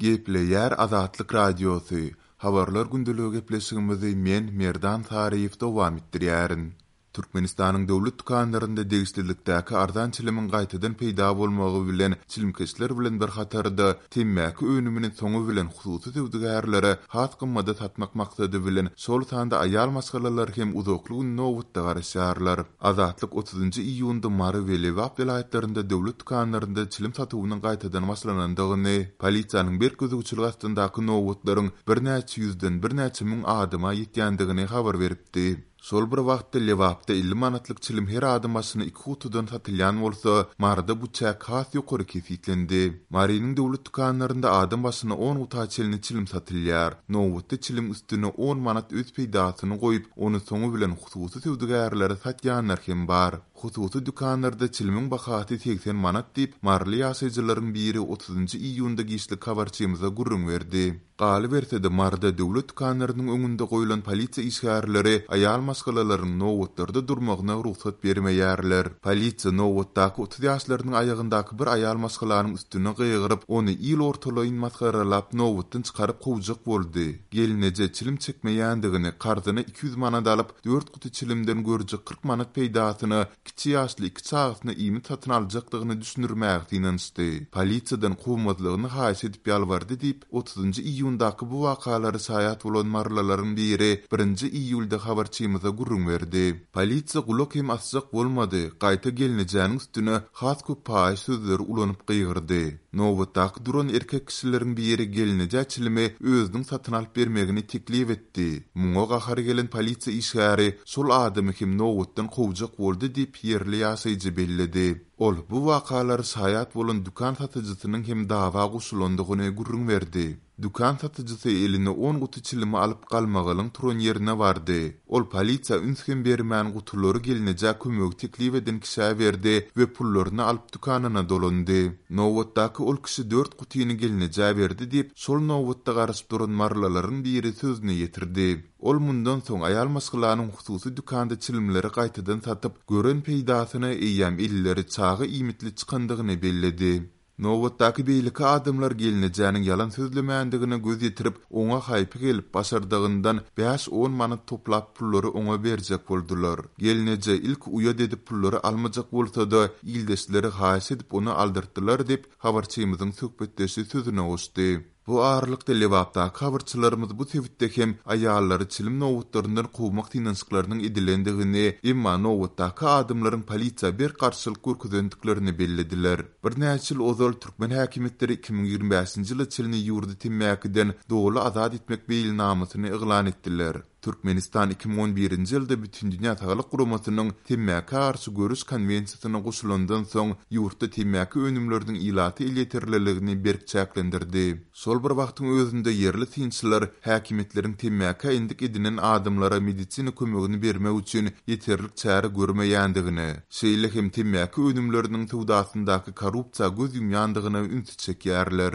Gepleýär Azatlyk Radiosy, Habarlar gündeligi gepleşigimizi men, Merdan Saryýew dowam etdirýärin. Türkmenistanyň döwlet dükanlarynda degişlilikdäki arzan çilimiň gaýtadan peýda bolmagy bilen çilimkeşler bilen bir hatarda temmäki önümini soňy bilen hususy söwdagärlere has gymmada satmak maksady bilen şol sanda aýal maşgalalar hem uzakly gün nobatda garaşýarlar. Azatlyk otuzynjy iýunda Mary we Lebap welaýatlarynda döwlet dükanlarynda çilim satuwynyň gaýtadan başlanandygyny, polisiýanyň berk gözegçiligi astyndaky nobatlaryň birnäçe ýüzden birnäçe müň adama ýetýändigini habar beripdi. Şol bir wagtda, Lebapda 50 manatlyk çilim her adam başyna iki gutudan satylýan bolsa, Maryda bu çäk has ýokary kesgitlendi. Marynyň döwlet dükanlarynda adam başyna on guta çenli çilim satylýar. Nobatda çiliň üstüne on manat öz peýdasyny goýup, ony soňy bilen hususy söwdagärlere satýanlar hem bar. Hususy dükanlarda çilimiň bahasy 80 manat diýip, maryly ýaşaýjylaryň biri otuzynjy iýunda giçlik habarçymyza gürrüň berdi. Galyberse-de, Maryda döwlet dükanlarynyň öňünde goýlan polisiýa işgärleri aýal maşgalalaryň nobatlarda durmagyna rugsat bermeýärler. Polisiýa nobatdaky 30 ýaşlarynyň aýagyndaky bir aýal maşgalanyň üstüne gygyryp, ony il ortalaýyn masgaralap, nobatdan çykaryp kowjak boldy. Gelneje çilim çekmeýändigini, karzyna 200 manat alyp, dört guty çilimden görjek 40 manat peýdasyna kiçi ýaşly iki çagasyna iýmit satyn aljakdygyny düşündirmäge synanyşdy. Polisiýadan kowmazlygyny haýyş edip ýalbardy diýip, otuzynjy iýundaky bu wakalara şaýat bolan marylylaryň biri birinji iýulda habarçymyza gürrüň berdi. Polisiýa gulak hem asjak bolmady, gaýta gelnejäniň üstüne has köp paýyş sözleri ulanyp gygyrdy. Nobatdaky duran erkek kişileriň biri gelnejä çilimi özüniň satyn alyp bermegini teklip etdi. Muňa gahary gelen polisiýa işgäri şol adamy hem nobatdan kowjak boldy diýip, ýerli ýaşaýjy belledi. Ol bu wakalara şaýat bolan dükan satyjysynyň hem dawa goşulandygyny gürrüň berdi. Dükan satyjysy eline on guty çilimi alyp galmagalyň turan ýerine bardy. Ol polisiýa üns hem bermän gutulary gelnejä kömegi teklip eden kişä berdi we pullaryny alyp dükanyna dolandy. Nobatdaky ol kişi dört gutyny gelnejä berdi diýip, şol nobatda garaşyp duran marylylaryň biri sözüni ýetirdi. Ol mundan soň aýal maşgalanyň hususy dükanda çilimleri gaýtadan satyp, gören peýdasyna eýýäm elleri çaga iýmitli çykandygyny belledi. Nobatdaky beýleki adamlar gelnejäniň ýalan sözlemändigine göz ýetirip, oňa haýpy gelip, başardygyndan bäş-on manat toplap pullary oňa berjek boldular. Gelneje ilki uýat edip pullary almajak bolsa-da, ildeşleri haýyş edip ony aldyrtdylar diýip, habarçymyzyň söhbetdeşi sözüne goşdy. Bu aralykda, Lebapdaky habarçylarymyz bu sebitde hem aýallary çilim nobatlaryndan kowmak synanyşyklarynyň edilendigini, emma nobatdaky adamlaryň polisiýa berk garşylyk görkezendiklerini bellediler. Birnäçe ýyl ozal türkmen häkimiýetleri 2025-nji ýyla çenli ýurdy temmäkiden doly azat etmek meýilnamasyny yglan etdiler. Türkmenistan 2011-nji ýylda Bütindünýä Saglyk Guramasynyň Temmäkä garşy göreş konwensiýasyna goşulandan soň, ýurtda temmäki önümleriniň ilata elýeterliligini berk çäklendirdi. Şol bir wagtyň özünde ýerli synçylar häkimiýetleriň temmäkä endik edinen adamlara medisina kömegini bermek üçin ýeterlik çäre görmeýändigine, şeýle hem temmäki önümleriniň söwdasyndaky korrupsiýa göz ýumýandygyna ünsi çekýärler.